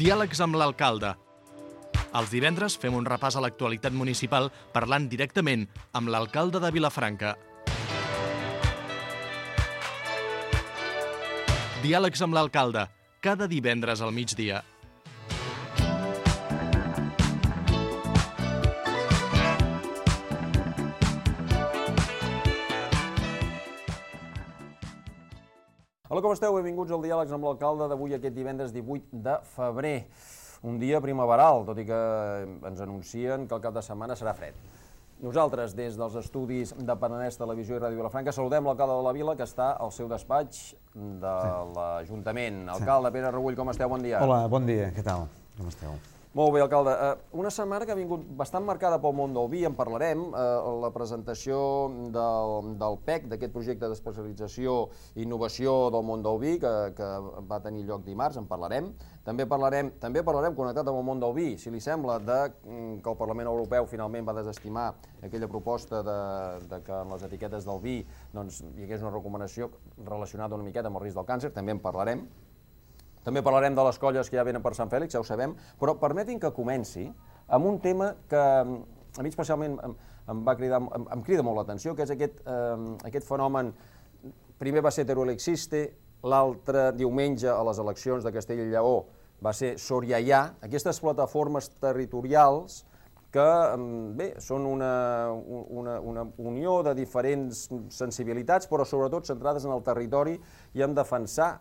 Diàlegs amb l'alcalde. Els divendres fem un repàs a l'actualitat municipal parlant directament amb l'alcalde de Vilafranca. Diàlegs amb l'alcalde, cada divendres al migdia. Hola, com esteu? Benvinguts al Diàlegs amb l'alcalde d'avui, aquest divendres 18 de febrer. Un dia primaveral, tot i que ens anuncien que el cap de setmana serà fred. Nosaltres, des dels estudis de Penedès Televisió i Ràdio Vilafranca, saludem l'alcalde de la vila, que està al seu despatx de l'Ajuntament. Alcalde, Pere Regull, com esteu? Bon dia. Hola, bon dia. Què tal? Com esteu? Molt bé, alcalde. Una setmana que ha vingut bastant marcada pel món del vi, en parlarem, la presentació del PEC, d'aquest projecte d'especialització i innovació del món del vi, que va tenir lloc dimarts, en parlarem. També parlarem connectat amb el món del vi, si li sembla, que el Parlament Europeu finalment va desestimar aquella proposta de que en les etiquetes del vi hi hagués una recomanació relacionada una miqueta amb el risc del càncer, també en parlarem. També parlarem de les colles que ja venen per Sant Fèlix, ja ho sabem, però permetin que comenci amb un tema que a mi especialment em crida molt l'atenció, que és aquest fenomen. Primer va ser Teruel Existe, l'altre diumenge a les eleccions de Castella i Lleó va ser Soriaià, aquestes plataformes territorials que són una unió de diferents sensibilitats, però sobretot centrades en el territori i en defensar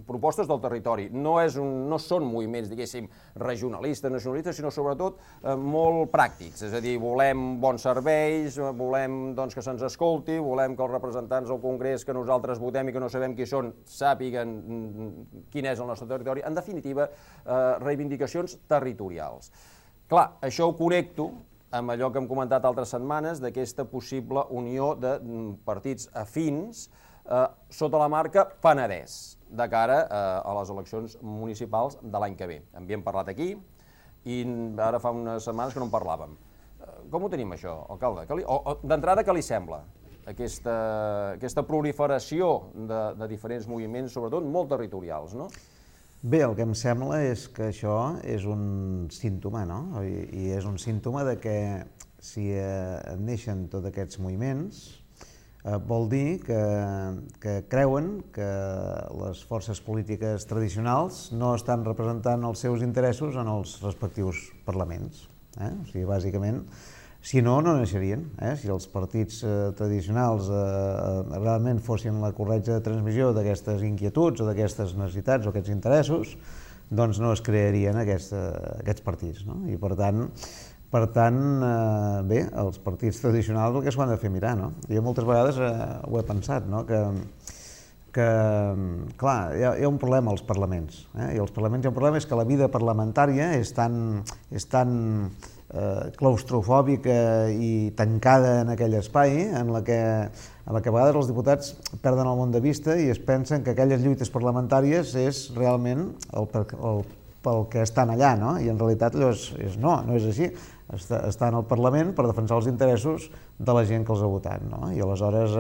propostes del territori. No són moviments, diguéssim, regionalistes, nacionalistes, sinó sobretot molt pràctics. És a dir, volem bons serveis, volem que se'ns escolti, volem que els representants del Congrés que nosaltres votem i que no sabem qui són sàpiguen quin és el nostre territori. En definitiva, reivindicacions territorials. Clar, això ho connecto amb allò que hem comentat altres setmanes d'aquesta possible unió de partits afins sota la marca Penedès, de cara a les eleccions municipals de l'any que ve. En havíem parlat aquí i ara fa unes setmanes que no en parlàvem. Com ho tenim, això, alcalde? D'entrada, què li sembla aquesta proliferació de diferents moviments, sobretot molt territorials, no? Bé, el que em sembla és que això és un símptoma, no? I és un símptoma de que si neixen tots aquests moviments vol dir que creuen que les forces polítiques tradicionals no estan representant els seus interessos en els respectius parlaments. O sigui, bàsicament, si no, no naixerien. Si els partits tradicionals realment fossin la corretja de transmissió d'aquestes inquietuds o d'aquestes necessitats o aquests interessos, doncs no es crearien aquests partits. I per tant, bé, els partits tradicionals el que s'ho han de fer mirar, no? Jo moltes vegades ho he pensat, no? Que clar, hi ha un problema als parlaments, i als parlaments hi ha un problema, és que la vida parlamentària és tan claustrofòbica i tancada en aquell espai en la que a vegades els diputats perden el món de vista i es pensen que aquelles lluites parlamentàries és realment pel que estan allà, no? I en realitat allò no és així. Estan al Parlament per defensar els interessos de la gent que els ha votat, no? I aleshores,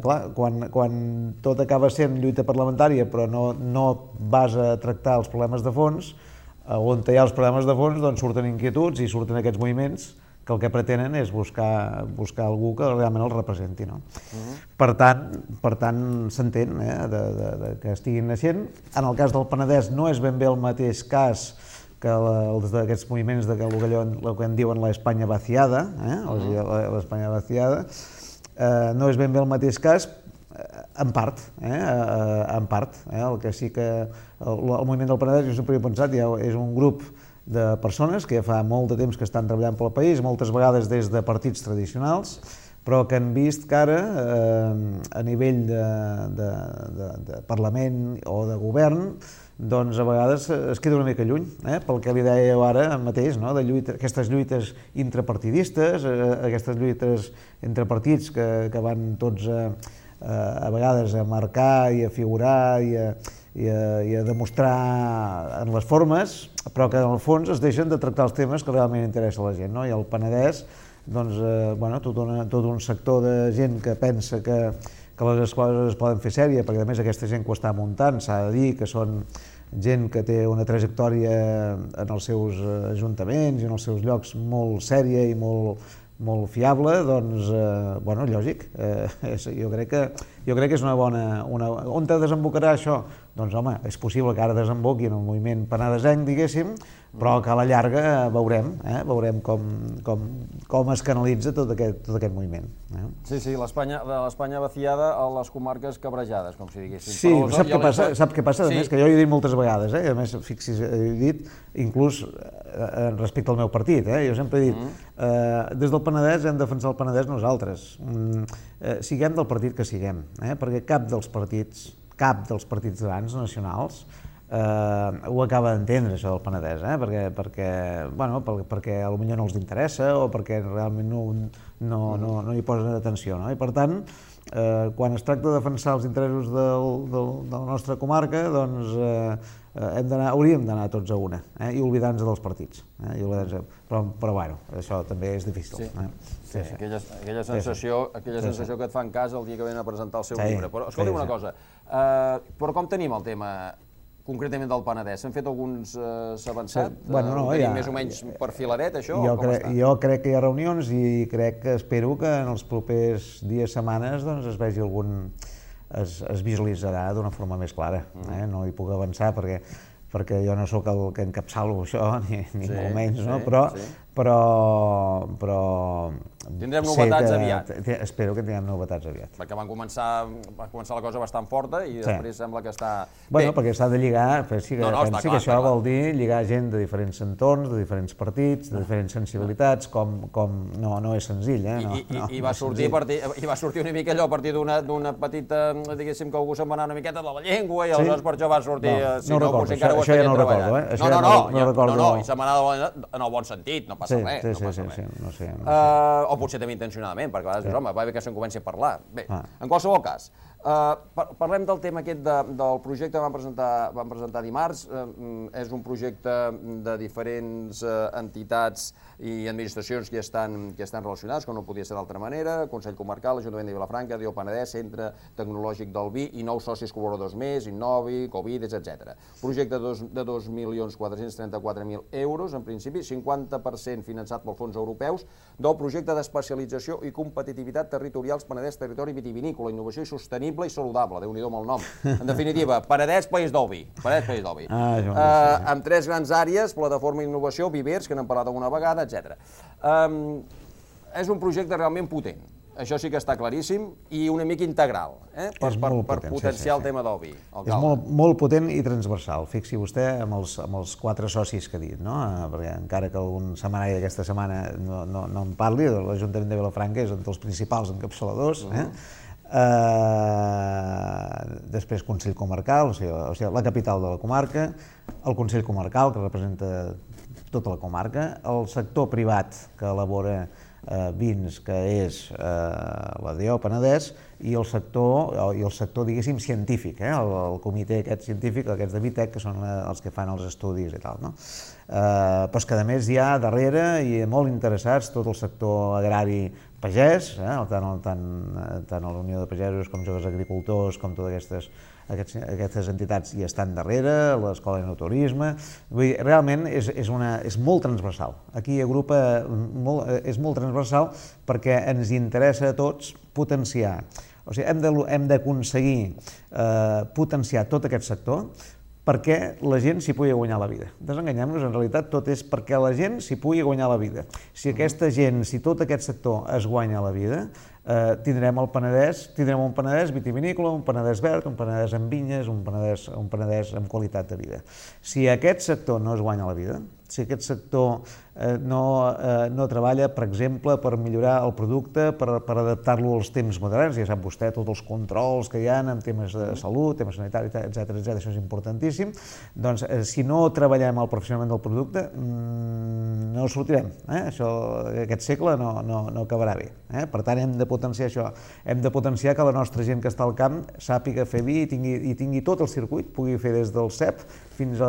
clar, quan tot acaba sent lluita parlamentària però no vas a tractar els problemes de fons, on hi ha els problemes de fons doncs surten inquietuds i surten aquests moviments que el que pretenen és buscar algú que realment els representi, no? Per tant, s'entén que estiguin naixent. En el cas del Penedès no és ben bé el mateix cas que aquests moviments de el que en diuen l'Espanya vaciada, l'Espanya vaciada, no és ben bé el mateix cas, en part. El que sí que el moviment del Penedès, jo sempre he pensat, és un grup de persones que ja fa molt de temps que estan treballant pel país, moltes vegades des de partits tradicionals, però que han vist que ara, a nivell de Parlament o de govern, doncs a vegades es queda una mica lluny, pel que li dèieu ara mateix, aquestes lluites intrapartidistes, aquestes lluites entre partits que van tots a vegades a marcar i a figurar i a demostrar en les formes, però que en el fons es deixen de tractar els temes que realment interessa a la gent. I el Penedès, tot un sector de gent que pensa que les coses es poden fer sèria, perquè a més aquesta gent que ho està muntant s'ha de dir que són gent que té una trajectòria en els seus ajuntaments i en els seus llocs molt sèria i molt fiable, doncs, bueno, lògic. Jo crec que és una bona... On desembocarà això? Doncs, home, és possible que ara desemboqui en el moviment penedesenc, diguéssim, però que a la llarga veurem com es canalitza tot aquest moviment. Sí, l'Espanya vaciada a les comarques cabrejades, com si diguéssim. Sí, sap què passa? A més, que jo ho he dit moltes vegades, a més, fixi's, he dit, inclús respecte al meu partit, jo sempre he dit, des del Penedès hem de defensar el Penedès nosaltres, siguem del partit que siguem, perquè cap dels partits grans nacionals ho acaba d'entendre, això del Penedès, perquè potser no els interessa o perquè realment no hi posen atenció, no? I per tant, quan es tracta de defensar els interessos de la nostra comarca, doncs hauríem d'anar tots a una i oblidar-nos dels partits. Però bueno, això també és difícil. Sí, aquella sensació que et fan cas el dia que venen a presentar el seu llibre. Però escolta'm una cosa, però com tenim el tema concretament del Penedès? S'han fet alguns avançat? Ho tenim més o menys perfiladet, això? Jo crec que hi ha reunions i espero que en els propers dies, setmanes, es vegi es visualitzarà d'una forma més clara. No hi puc avançar perquè jo no sóc el que encapçalo això, ni molt menys, però tindrem novetats aviat. Espero que tinguem novetats aviat. Perquè va començar la cosa bastant forta i després sembla que està... Bueno, perquè s'ha de lligar, pensi que això vol dir lligar gent de diferents entorns, de diferents partits, de diferents sensibilitats, com no és senzill, I va sortir una mica allò a partir d'una petita, diguéssim, que algú se'n va anar una miqueta de la llengua i aleshores per això va sortir... No recordo, això ja no ho recordo, No, i se'n va anar en el bon sentit, no passa res, no sé. O potser també intencionadament, perquè a vegades dius, home, va bé que se'n comenci a parlar. Bé, en qualsevol cas, parlem del tema aquest del projecte que vam presentar dimarts. És un projecte de diferents entitats i administracions que estan relacionades, com no podia ser d'altra manera, Consell Comarcal, Ajuntament de Vilafranca, DIO Penedès, Centre Tecnològic del Vi i 9 socis col·laboradors més, Innovi, Covides, etc. Projecte de 2.434.000 euros, en principi, 50% finançat pels fons europeus, del projecte d'especialització i competitivitat territorials Penedès Territori Vitivinícola, innovació i sostenible i saludable, Déu-n'hi-do amb el nom. En definitiva, Penedès, País del Vi. Amb 3 grans àrees, plataforma d'innovació, vivers, que n'hem parlat alguna vegada, etc. És un projecte realment potent. Això sí que està claríssim i una mica integral, per potenciar el tema del vi. És molt potent i transversal. Fixi vostè amb els 4 socis que ha dit, perquè encara que algun setmanari d'aquesta setmana no en parli, l'Ajuntament de Vilafranca és un dels principals encapçaladors, després Consell Comarcal, o sigui, la capital de la comarca, el Consell Comarcal, que representa tota la comarca, el sector privat que elabora vins, que és la DIO Penedès, i el sector, diguéssim, científic, el comitè aquest científic, aquests de Vitec, que són els que fan els estudis i tal, no? Però és que a més hi ha darrere i molt interessats tot el sector agrari pagès, tant a la Unió de Pagesos com Joves Agricultors, com totes aquestes entitats hi estan darrere, l'Escola d'Enoturisme. Realment és molt transversal. Aquí és molt transversal perquè ens interessa a tots potenciar. O sigui, hem d'aconseguir potenciar tot aquest sector perquè la gent s'hi pugui guanyar la vida. Desenganyem-nos, en realitat tot és perquè la gent s'hi pugui guanyar la vida. Si aquesta gent, si tot aquest sector es guanya la vida, tindrem un Penedès vitivinícola, un Penedès verd, un Penedès amb vinyes, un Penedès amb qualitat de vida. Si aquest sector no es guanya la vida, si aquest sector no treballa, per exemple, per millorar el producte, per adaptar-lo als temps moderns, ja sap vostè tots els controls que hi ha en temes de salut, temes sanitaris, etc., això és importantíssim, doncs si no treballem el professionalment del producte, no sortirem. Aquest segle no acabarà bé. Per tant, hem de potenciar això. Hem de potenciar que la nostra gent que està al camp sàpiga fer vi i tingui tot el circuit, pugui fer des del cep fins a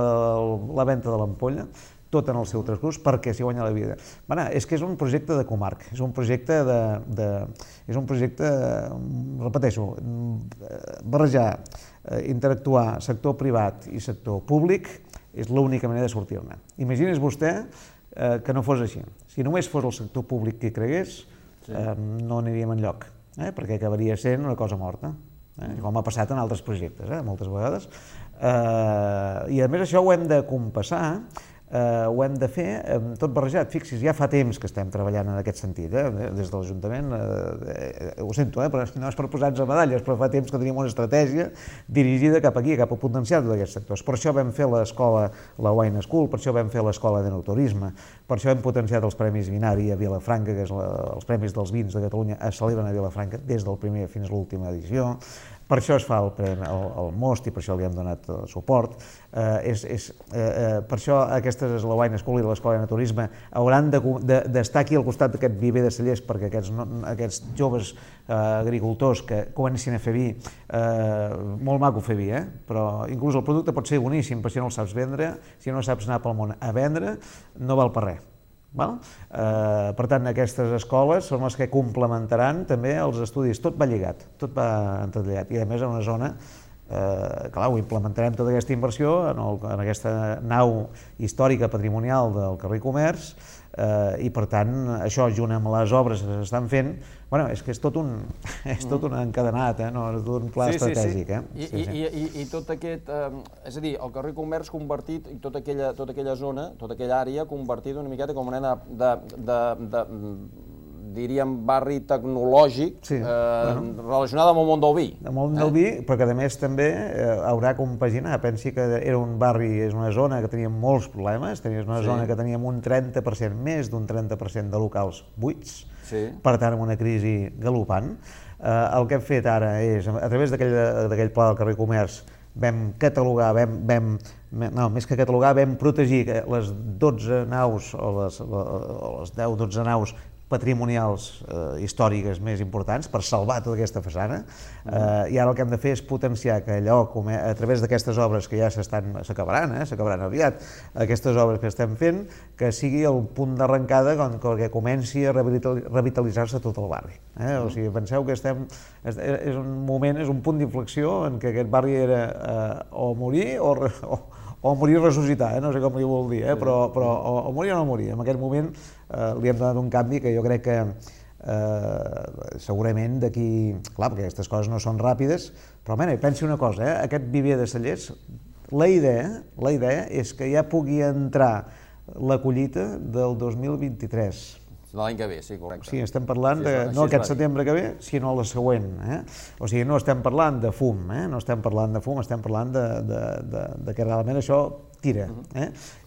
la venda de l'ampolla, tot en el seu transcurs, perquè perquè s'hi guanya la vida. Bueno, és que és un projecte de comarca, és un projecte repeteixo, barrejar, interactuar sector privat i sector públic és l'única manera de sortir-ne. Imagini's vostè que no fos així. Si només fos el sector públic qui cregués, no aniríem enlloc, perquè acabaria sent una cosa morta, com ha passat en altres projectes, moltes vegades. I a més això ho hem de compassar, ho hem de fer tot barrejat. Fixis, ja fa temps que estem treballant en aquest sentit, des de l'Ajuntament, ho sento, però no és per posar-nos a medalles, però fa temps que tenim una estratègia dirigida cap aquí, cap a potenciar tots aquests sectors. Per això vam fer l'escola, la Wine School, per això vam fer l'escola d'enoturisme, per això hem potenciat els Premis Vinari a Vilafranca, que és els Premis dels Vins de Catalunya es celebren a Vilafranca des del primer fins a l'última edició. Per això es fa el Most i per això li hem donat suport. Per això aquestes, la Wine School i l'Escola de Naturisme, hauran d'estar aquí al costat d'aquest viver de cellers perquè aquests joves agricultors que comencin a fer vi, molt maco fer vi, però inclús el producte pot ser boníssim, però si no el saps vendre, si no saps anar pel món a vendre, no val per res. Per tant, aquestes escoles són les que complementaran també els estudis. Tot va lligat, tot va entrelligat. I a més en una zona, clar, ho implementarem tota aquesta inversió en aquesta nau històrica patrimonial del carrer Comerç, i per tant això junt amb les obres que s'estan fent, bueno, és que és tot un encadenat, no? És tot un pla estratègic. I tot aquest, és a dir, el carrer Comerç convertit, i tota aquella zona, tota aquella àrea convertida una miqueta com una mena de diríem, barri tecnològic relacionat amb el món del vi. El món del vi, però que a més també haurà compaginar. Pensi que era un barri, és una zona que tenia molts problemes, és una zona que teníem un 30%, més d'un 30% de locals buits, per tant, amb una crisi galopant. El que hem fet ara és, a través d'aquell pla del carrer Comerç, vam catalogar, més que catalogar, vam protegir les 12 naus, o les 10-12 naus patrimonials històriques més importants per salvar tota aquesta façana, i ara el que hem de fer és potenciar que allò, a través d'aquestes obres que ja s'acabaran aviat, aquestes obres que estem fent, que sigui el punt d'arrencada que comenci a revitalitzar-se tot el barri. O sigui, penseu que és un moment, és un punt d'inflexió en què aquest barri era o morir o morir i ressuscitar, no sé com li vol dir, però o morir o no morir. En aquest moment li hem donat un canvi que jo crec que segurament d'aquí... Clar, perquè aquestes coses no són ràpides, però pensi una cosa, aquest viver de cellers, la idea és que ja pugui entrar la collita del 2023. De l'any que ve, sí, correcte. Sí, estem parlant no aquest setembre que ve, sinó la següent. O sigui, no estem parlant de fum, estem parlant de que realment això tira.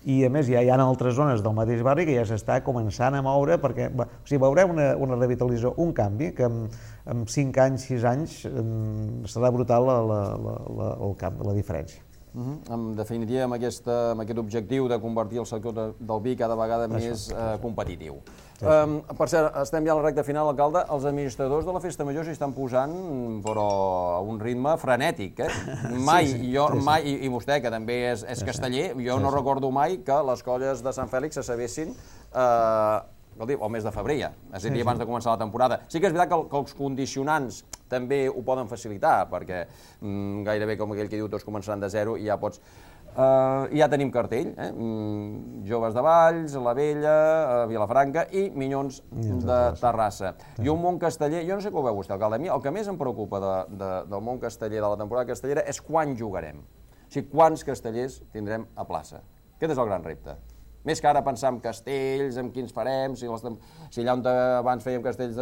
I a més ja hi ha altres zones del mateix barri que ja s'està començant a moure perquè veurem una revitalització, un canvi que en 5 anys, 6 anys serà brutal la diferència. En definitiva, amb aquest objectiu de convertir el sector del vi cada vegada més competitiu. Per cert, estem ja a la recta final, alcalde. Els administradors de la Festa Major s'hi estan posant, però a un ritme frenètic. Mai, i vostè, que també és casteller, jo no recordo mai que les colles de Sant Fèlix se sabessin el mes de febrer, és a dir, abans de començar la temporada. Sí que és veritat que els condicionants també ho poden facilitar, perquè gairebé, com aquell que diu, tots començaran de zero i ja pots... Ja tenim cartell, Joves de Valls, La Vella, Vilafranca i Minyons de Terrassa. I un món casteller, jo no sé com ho veu vostè, alcalde, a mi el que més em preocupa del món casteller, de la temporada castellera, és quan jugarem. O sigui, quants castellers tindrem a plaça. Aquest és el gran repte. Més que ara pensar en castells, en quins farem, si allà on abans fèiem castells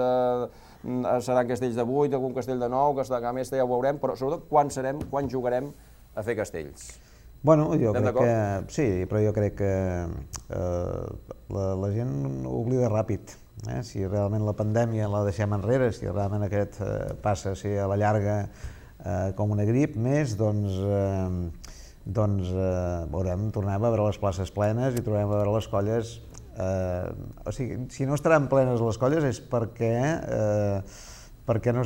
seran castells de 8, algun castell de 9, que a més ja ho veurem, però sobretot quan jugarem a fer castells. Bueno, jo crec que sí, però jo crec que la gent oblida ràpid. Si realment la pandèmia la deixem enrere, si realment aquest passa a ser a la llarga com una grip més, doncs tornem a veure les places plenes i tornem a veure les colles. O sigui, si no estaran plenes les colles és perquè perquè en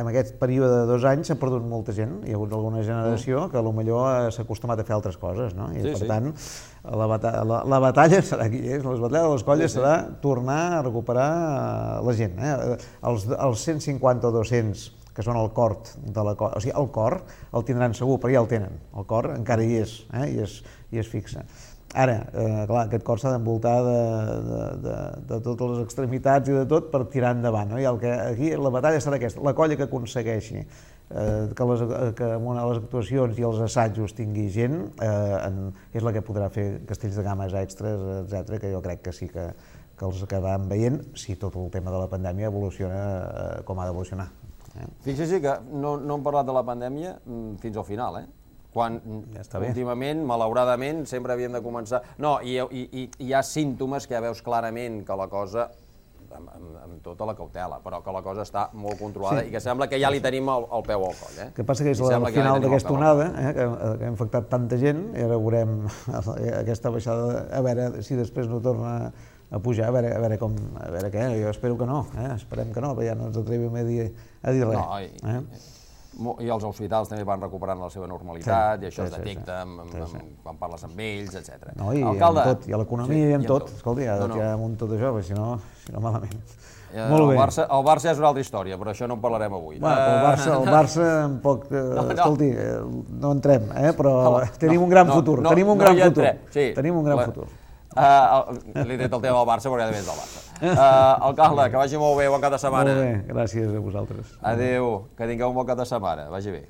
aquest període de 2 anys s'ha perdut molta gent, hi ha hagut alguna generació que potser s'ha acostumat a fer altres coses, no? I per tant la batalla serà aquí, les batalles de les colles serà tornar a recuperar la gent. Els 150 o 200 que són el cor de la colla, o sigui, el cor el tindran segur, però ja el tenen, el cor encara hi és, i es fixa. Ara, clar, aquest cor s'ha d'envoltar de totes les extremitats i de tot per tirar endavant, no? I aquí la batalla serà aquesta, la colla que aconsegueixi que les actuacions i els assajos tingui gent és la que podrà fer castells de games extras, etc, que jo crec que sí que els acabaran veient si tot el tema de la pandèmia evoluciona com ha d'evolucionar. Fixi-s'hi que no hem parlat de la pandèmia fins al final, quan últimament, malauradament, sempre havíem de començar... No, i hi ha símptomes que ja veus clarament que la cosa, amb tota la cautela, però que la cosa està molt controlada i que sembla que ja li tenim el peu al coll. El que passa que és el final d'aquesta onada, que ha infectat tanta gent, i ara veurem aquesta baixada, a veure si després no torna a pujar, a veure què, jo espero que no, esperem que no, però ja no ens atrevim a dir res. I els hospitals també van recuperant la seva normalitat, i això es detecta quan parles amb ells, etc. No, i amb tot, i a l'economia i amb tot. Escolta, ja amb tot això, si no malament. El Barça és una altra història, però això no en parlarem avui. El Barça tampoc... Escolti, no entrem, però tenim un gran futur. Tenim un gran futur. Li he tret el tema del Barça perquè és del Barça. Alcalde, que vagi molt bé, bon cap de setmana. Molt bé, gràcies a vosaltres. Adéu, que tingueu un bon cap de setmana, vagi bé.